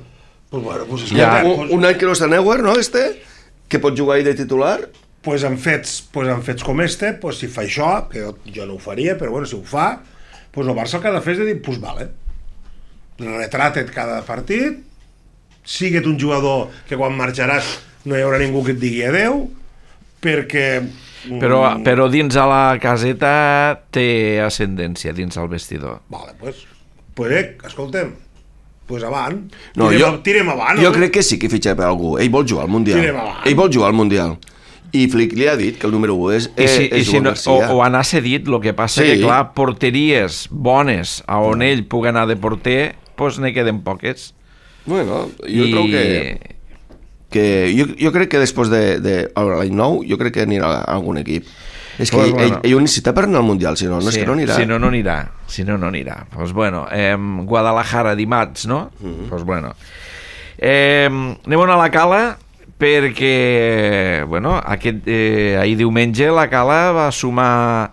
Pues, bueno, pues, Ja. escolta, Un, un any que no està Neuer, no, este? Que pot jugar ahí de titular? pues en fets, pues en fets com este, pues si fa això, que jo, jo no ho faria, però bueno, si ho fa, pues el Barça el que ha de fer és de dir, pues vale, retrata't cada partit, sigue't un jugador que quan marxaràs no hi haurà ningú que et digui adeu, perquè Però, però dins a la caseta té ascendència, dins al vestidor. Vale, pues, pues eh, escoltem, pues avant, No, tirem, jo, tirem avant. jo no? crec que sí que fitxa per algú. Ell vol jugar al Mundial. Tirem avant. Ell vol jugar al Mundial. I Flick li ha dit que el número u és, I si, és i si Joan no, o, Garcia. o anar cedit, el que passa Sí. que, clar, porteries bones a on ell pugui anar de porter, doncs ne queden poques. Bueno, jo I... trobo que... que jo, jo crec que després de, de l'any nou, jo crec que anirà a algun equip. És que Pues ell, bueno. ell, ell ho necessita per anar al Mundial, si no, no Sí, és que no anirà. Si no, no anirà. Si no, no anirà. Pues bueno, eh, Guadalajara dimarts, no? Mhm. Pues bueno. Eh, anem a la Cala, perquè, bueno, aquest, eh, ahir diumenge la Cala va sumar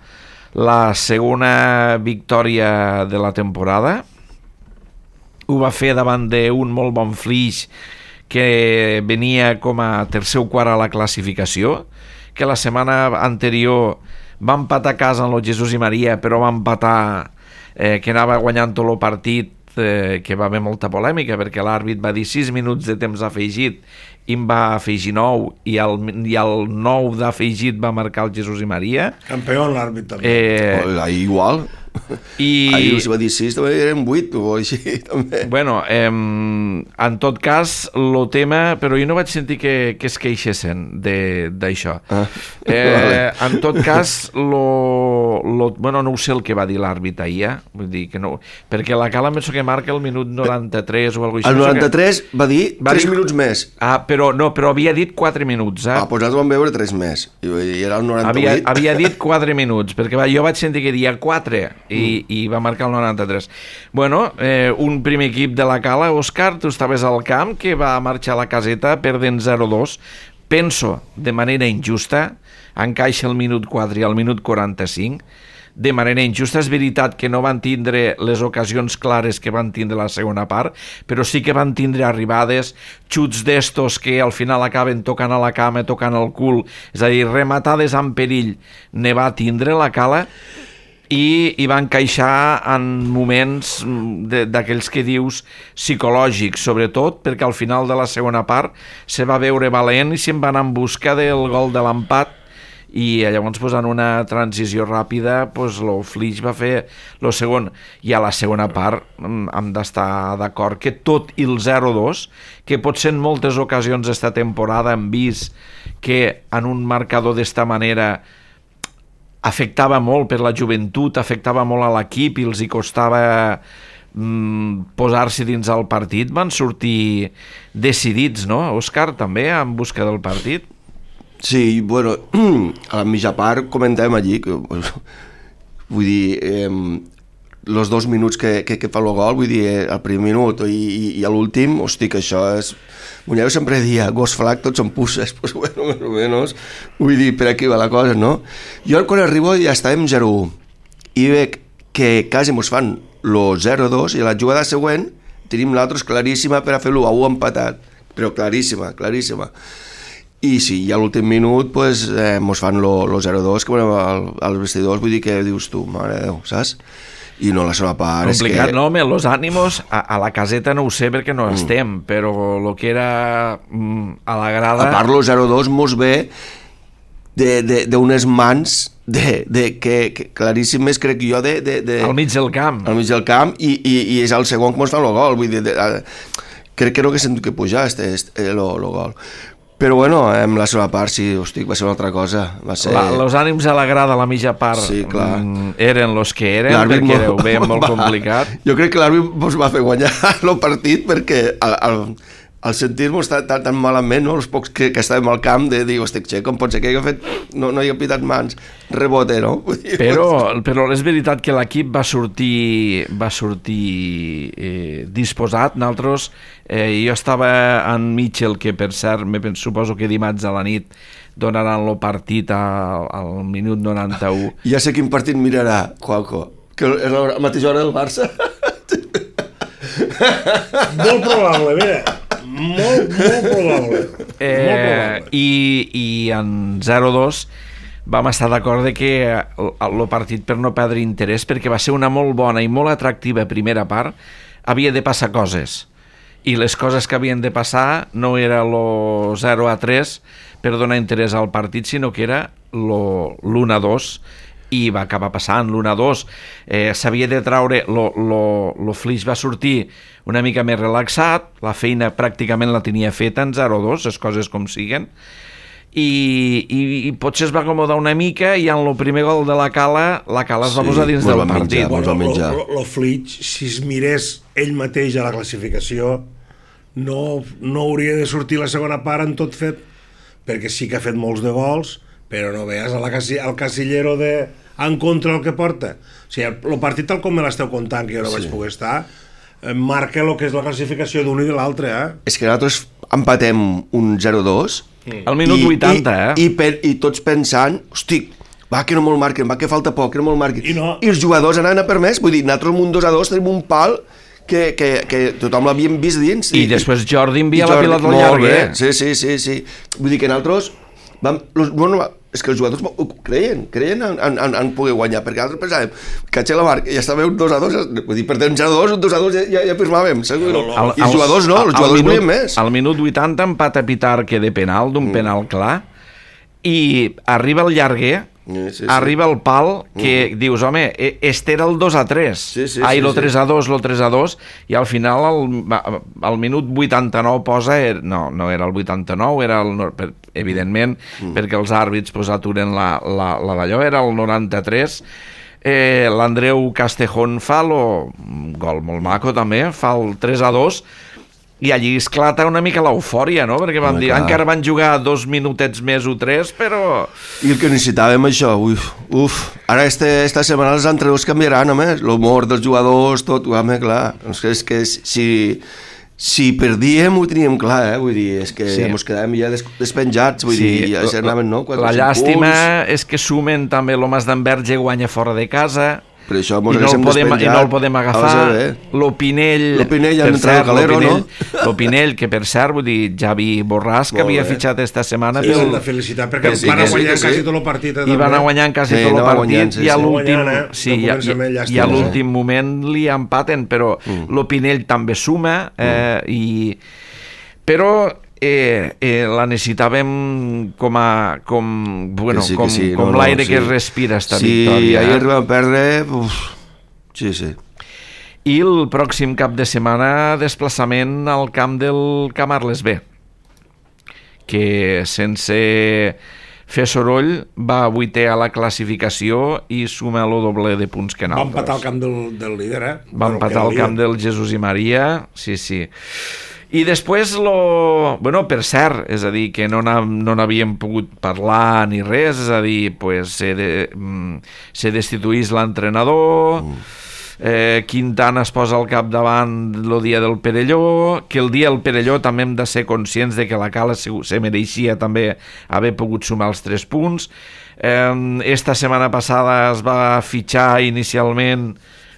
la segona victòria de la temporada. Ho va fer davant d'un molt bon Flix que venia com a tercer o quart a la classificació, que la setmana anterior va empatar a casa amb el Jesús i Maria, però va empatar eh, que anava guanyant tot el partit, eh, que va haver molta polèmica perquè l'àrbit va dir sis minuts de temps afegit i en va afegir nou i el, i el nou d'afegit va marcar el Jesús i Maria. Campió l'àrbit també. Eh, Oh, ahir igual. i, Ahir si va dir sis, també eren vuit o així, també. Bueno, eh, en tot cas, el tema... Però jo no vaig sentir que, que es queixessin d'això. Ah, Eh, vale. en tot cas, lo, lo, bueno, no ho sé el que va dir l'àrbit ahir, eh? Vull dir que no... Perquè la Cala penso que marca el minut noranta-tres o alguna cosa així. El Penso que- noranta-tres va dir Va tres dir- minuts més. Ah, però no, però havia dit quatre minuts, eh? Ah, doncs nosaltres vam veure tres més. I, i era el Havia, noranta-vuit. havia dit quatre minuts, perquè va, jo vaig sentir que dia quatre i, Mm. i va marcar el noranta-tres. Bueno, eh, un primer equip de la Cala, Òscar, tu estaves al camp, que va marxar a la caseta perdent zero dos. Penso, de manera injusta, encaixa el minut quatre i el minut quaranta-cinc, de manera injusta. És veritat que no van tindre les ocasions clares que van tindre la segona part, però sí que van tindre arribades, xuts d'estos que al final acaben tocant a la cama, tocant al cul, és a dir, rematades en perill, ne va tindre la Cala, i, i va encaixar en moments de- d'aquells que dius psicològics, sobretot perquè al final de la segona part se va veure valent i se'n va anar en busca del gol de l'empat, i llavors pues, en una transició ràpida pues, el Flix va fer el segon, i a la segona part mm, hem d'estar d'acord que tot i el zero dos, que potser en moltes ocasions d'esta temporada hem vist que en un marcador d'esta manera afectava molt per la joventut, afectava molt a l'equip i els hi costava mm, posar-se dins el partit, van sortir decidits, no, Òscar, també en busca del partit? Sí, bueno, a la mitja part comentàvem allí que, vull dir, eh, els dos minuts que, que, que fa el gol, vull dir, eh, el primer minut i, i, i l'últim, hosti, que això és... Muñeu sempre dia, gos flac, tots en pusses, pues bueno, més o menys, vull dir, per aquí va la cosa, no? Jo quan arribo ja estàvem zero u i veig que quasi mos fan el zero dos i a la jugada següent tenim l'altre claríssima per a fer l'u a u empatat, però claríssima, claríssima. I sí, i a l'últim minut pues, eh, mos fan el zero dos que bueno, al, als vestidors, vull dir que dius tu, mare de Déu, saps? I no, la segona part Complicat, és que... no, home, los ànimos a, a la caseta no ho sé perquè no mm. estem, però el que era mm, a la grada... A part, el zero dos mos ve d'unes mans de, de, que, que claríssimes, crec jo, de, de, de, al mig del camp. al mig del camp i, i, i és el segon que mos fan el gol, vull dir, de, de, crec que no que s'ha que pujar este, este, el gol. Però bueno, en la segona part sí, hosti, va ser una altra cosa. Va ser... La, los ànims a la grada a la mitja part Sí, clar. mm, eren los que eren, L'àrbit perquè mo- ho veiem molt va- complicat. Jo crec que l'àrbit mos va fer guanyar el partit perquè al, al, al sentir-nos tan, tan, tan malament, no? Els pocs que, que estàvem al camp de dir, hosti, xe, com pot ser que hagi fet, no, no hi ha pitat mans, rebote, no? Vull dir, Però, però és veritat que l'equip va sortir, va sortir eh, disposat. Nosaltres, eh, jo estava en Mitchell, que per cert, me penso, suposo que dimarts a la nit donaran el partit al, al minut noranta-u. Ja sé quin partit mirarà, Juanjo, que és la mateixa hora del Barça. Molt probable, mira. Molt, molt probable. Eh, molt probable. i, I en zero dos vam estar d'acord de que el, el partit, per no perdre interès, perquè va ser una molt bona i molt atractiva primera part, havia de passar coses. I les coses que havien de passar no era el zero a tres per donar interès al partit, sinó que era l'u a dos i va acabar passant l'u a dos. Eh, s'havia de traure, el Flix va sortir una mica més relaxat, la feina pràcticament la tenia feta en zero a dos, les coses com siguen, i, i, i potser es va acomodar una mica i en el primer gol de la Cala, la Cala es va Sí, posar dins mos del van menjar, partit. mos van menjar. El Flix, si es mirés ell mateix a la classificació, no, no hauria de sortir la segona part en tot fet, perquè sí que ha fet molts de gols, però no veus a la casi, al casillero de en contra el que porta. O sigui, el partit tal com me l'esteu contant, que jo no sí. vaig poder estar, marca el que és la classificació d'un i de l'altre, eh? És que nosaltres empatem un zero a dos mm. al minut i, vuitanta, eh? I, i, per, i tots pensant, hosti, va que no me'l marquen, va que falta poc, que no me'l marquen. I, no. I els jugadors anaven a per més, vull dir, nosaltres amb un dos a dos tenim un pal que, que, que tothom l'havíem vist dins. I, I després Jordi envia Jordi, la pilota al llarguer. Sí, sí, sí, sí. Vull dir que nosaltres vam, los, bueno, és que els jugadors ho creien, creien en, en, en poder guanyar, perquè nosaltres pensàvem que a la marca ja estava un dos a dos, vull dir, per tant un zero a dos, un dos a dos ja, ja firmàvem, segur. El, el, I els jugadors no, els jugadors volien més. Al minut vuitanta empat a Pitarque de penal, d'un mm. penal clar, i arriba el llarguer, sí, sí, sí. arriba el pal, que mm. dius, home, este era el dos a tres, sí, sí, ai, sí, lo sí. tres a dos, lo tres a dos, i al final, al, al minut vuitanta-nou posa, no, no era el vuitanta-nou, era el, evidentment, mm. perquè els àrbits pues, aturen la, la, la d'allò, era el noranta-tres, eh, l'Andreu Castejón fa el gol molt maco també, fa el tres a dos, i allí esclata una mica l'eufòria, no? Perquè vam dir, clar. Encara van jugar dos minutets més o tres, però... I el que necessitàvem això, uf, uf. Ara este, esta setmana els entrenadors canviaran, home, l'humor dels jugadors, tot, home, clar. És que si, si perdíem ho teníem clar, eh? Vull dir, és que sí. ens quedàvem ja des, despenjats, vull sí. dir, ja s'anaven, no? La llàstima punts. És que sumen també l'Homes d'Enverge guanya fora de casa... Per això I no, podem, i no el podem agafar. L'Opinell, L'Opinell ja entra al Galero, no? L'Opinell, que per cert, vull dir, Javi Borràs, que havia fitxat esta setmana. Sí, pel... de felicitat, perquè sí, van a guanyar sí, quasi sí. tot el partit. I van a guanyar quasi sí, tot el no, partit, guanyant, sí, i a l'últim eh? sí, no i, i a l'últim moment li empaten, però mm. l'Opinell també suma, eh, mm. i... però... Eh, eh, la necessitàvem com a com, bueno, sí, com, sí, com no, l'aire no, sí. que es respira esta sí, victòria. Sí, ahir vam perdre uf. sí, sí. I el pròxim cap de setmana desplaçament al camp del Camp Arles B, que sense fer soroll va vuitè a la classificació i suma el doble de punts que nosaltres. Va empatar al camp del, del líder, eh? Va empatar al camp del Jesús i Maria, sí, sí. I després, lo... bueno, per cert, és a dir, que no n'havíem pogut parlar ni res, és a dir, pues, se, de, se destituís l'entrenador, mm. eh, Quintana es posa al capdavant el dia del Perelló, que el dia del Perelló també hem de ser conscients de que la Cala se, se mereixia també haver pogut sumar els tres punts. Eh, esta setmana passada es va fitxar inicialment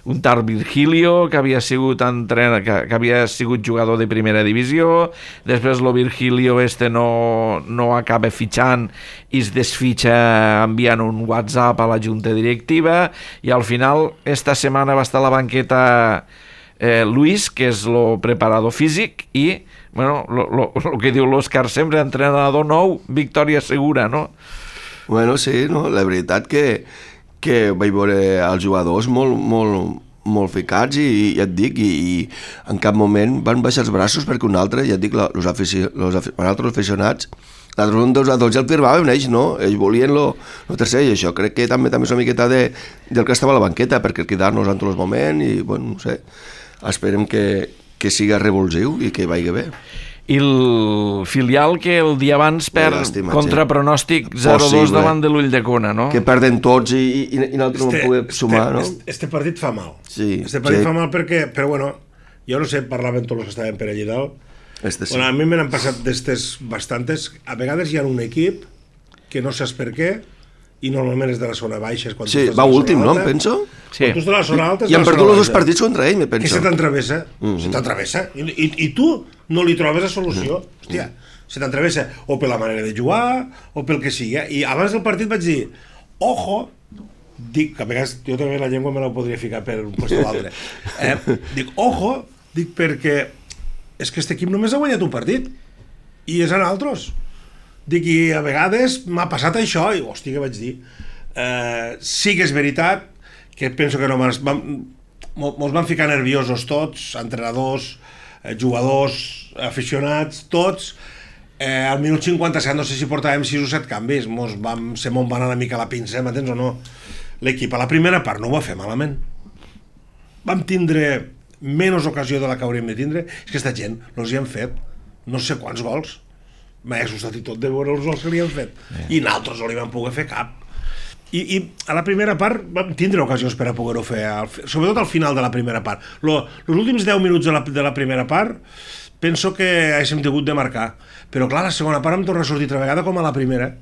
un tal Virgilio, que havia sigut entrenador, que, que havia sigut jugador de primera divisió, després el Virgilio este no, no acaba fitxant i es desfitxa enviant un WhatsApp a la junta directiva, i al final esta setmana va estar a la banqueta eh, Luis, que és el preparador físic, i bueno, el que diu l'Òscar sempre, entrenador nou, victòria segura, no? Bueno, sí, no? La veritat que que vaig veure els jugadors molt, molt, molt ficats i, i ja et dic, i, i en cap moment van baixar els braços perquè un altre, ja et dic, els afici, afici, altres aficionats, l'altre un dos a dos ja el firmaven ells, no? Ells volien lo, lo tercer, i això crec que també també és una miqueta de, del que estava a la banqueta, perquè quedar-nos en tots els moments, i bueno, no sé, esperem que, que siga revulsiu i que vagi bé. I el filial que el dia abans perd Llàstima, contra sí. pronòstic zero a dos davant de l'Ulldecona, no? Que perden tots i, i, i nosaltres este, no podem sumar, este, no? Este, este partit fa mal. Sí. Este partit sí. fa mal perquè, però bueno, jo no sé, parlaven tots els que estaven per allí dalt. Este sí. Bueno, a mi me n'han passat d'estes bastantes. A vegades hi ha un equip que no saps per què, i normalment és de la zona baixa. Quan sí, va últim, no, em penso? Sí. Quan tu estàs a la zona alta... I han perdut els dos partits contra ell, me penso. Que se t'entrevessa, mm -hmm. se t'entrevessa. I, i, I tu no li trobes la solució. Mm. Hòstia, se t'entrevessa o per la manera de jugar, o pel que sigui. I abans del partit vaig dir, ojo, dic, que a vegades jo també la llengua me la podria ficar per un lloc o l'altre. Eh, dic, ojo, dic perquè és que aquest equip només ha guanyat un partit. I és en altres. Dic, i a vegades m'ha passat això, i hòstia, què vaig dir? Eh, sí que és veritat que penso que no mos van, mos van ficar nerviosos tots, entrenadors, eh, jugadors, aficionats, tots. Eh, al minut cinquanta-set no sé si portàvem sis o set canvis, mos vam, se m'on va anar una mica la pinça, m'entens o no? L'equip a la primera part no ho va fer malament. Vam tindre menys ocasió de la que hauríem de tindre. És que aquesta gent els hi han fet no sé quants gols. M'ha assustat i tot de veure els gols que li han fet. Yeah. I nosaltres no li vam poder fer cap. I, I a la primera part vam tindre ocasions per a poder-ho fer, al, sobretot al final de la primera part. Lo, els últims deu minuts de la, de la primera part penso que haguéssim tingut de marcar. Però clar, la segona part em torna a sortir altra vegada com a la primera.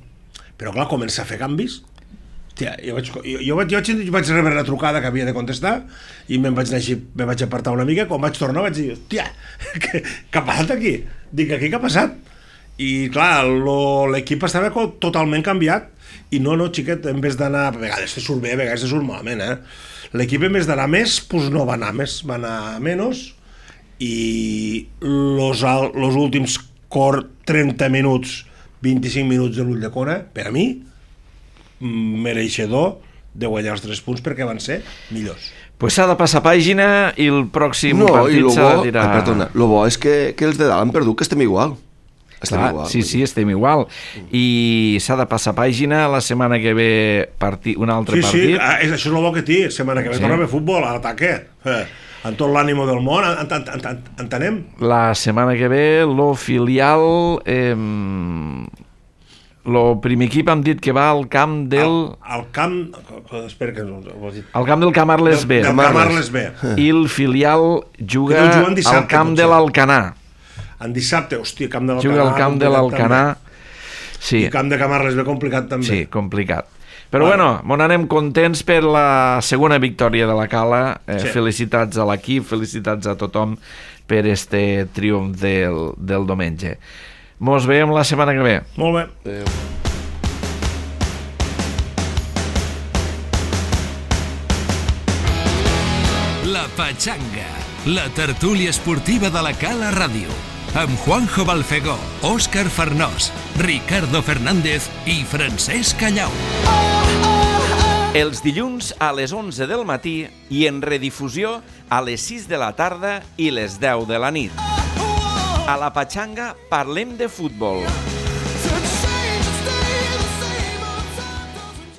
Però clar, comença a fer canvis. Hòstia, jo, vaig, jo, jo, vaig, jo vaig rebre la trucada que havia de contestar i me'n vaig anar així, me vaig apartar una mica. Quan vaig tornar vaig dir, hòstia, què, què ha passat aquí? Dic, aquí què ha passat? I clar, l'equip estava totalment canviat i no, no, xiquet, en vez d'anar, a vegades te surt bé, a vegades te surt malament, eh? L'equip en vez d'anar més, doncs no va anar més, va anar menys i los, los últims trenta minuts, vint-i-cinc minuts de l'Ulldecona, per a mi, mereixedor de guanyar els tres punts perquè van ser millors. Pues s'ha de passar pàgina i el pròxim no, partit s'ha de tirar... Ah, perdona, el bo és que, que els de dalt han perdut, que estem igual. Estem Clar, igual. Sí, sí, estem igual. I s'ha de passar pàgina la setmana que ve partit, un altre sí, partit. Sí, sí, això és el bo que té. Setmana que ve sí. Torna a fer futbol, a l'ataque. Eh, amb tot l'ànimo del món, ent, ent, ent, ent, entenem? La setmana que ve, lo filial... Eh, el primer equip hem dit que va al camp del... Al, al camp... Espera que no ho has dit. Al camp del Camarles B. Del Camarles B. I el filial juga dissabte, al camp potser. de l'Alcanar. En dissabte, hòstia, camp de l'Alcanar... Juga al camp de l'Alcanar. Sí. I camp de Camarles B complicat també. Sí, complicat. Però vale. Bueno, mon anem contents per la segona victòria de la Cala. Eh, sí. Felicitats a l'equip, felicitats a tothom per este triomf del, del diumenge. Mos veiem la setmana que ve. Molt bé. Adéu. La Patxanga, la tertúlia esportiva de la Cala Ràdio, amb Juanjo Balfegó, Òscar Farnós, Ricardo Fernández i Francesc Callau. Els dilluns a les onze del matí i en redifusió a les sis de la tarda i les deu de la nit. A la Patxanga parlem de futbol.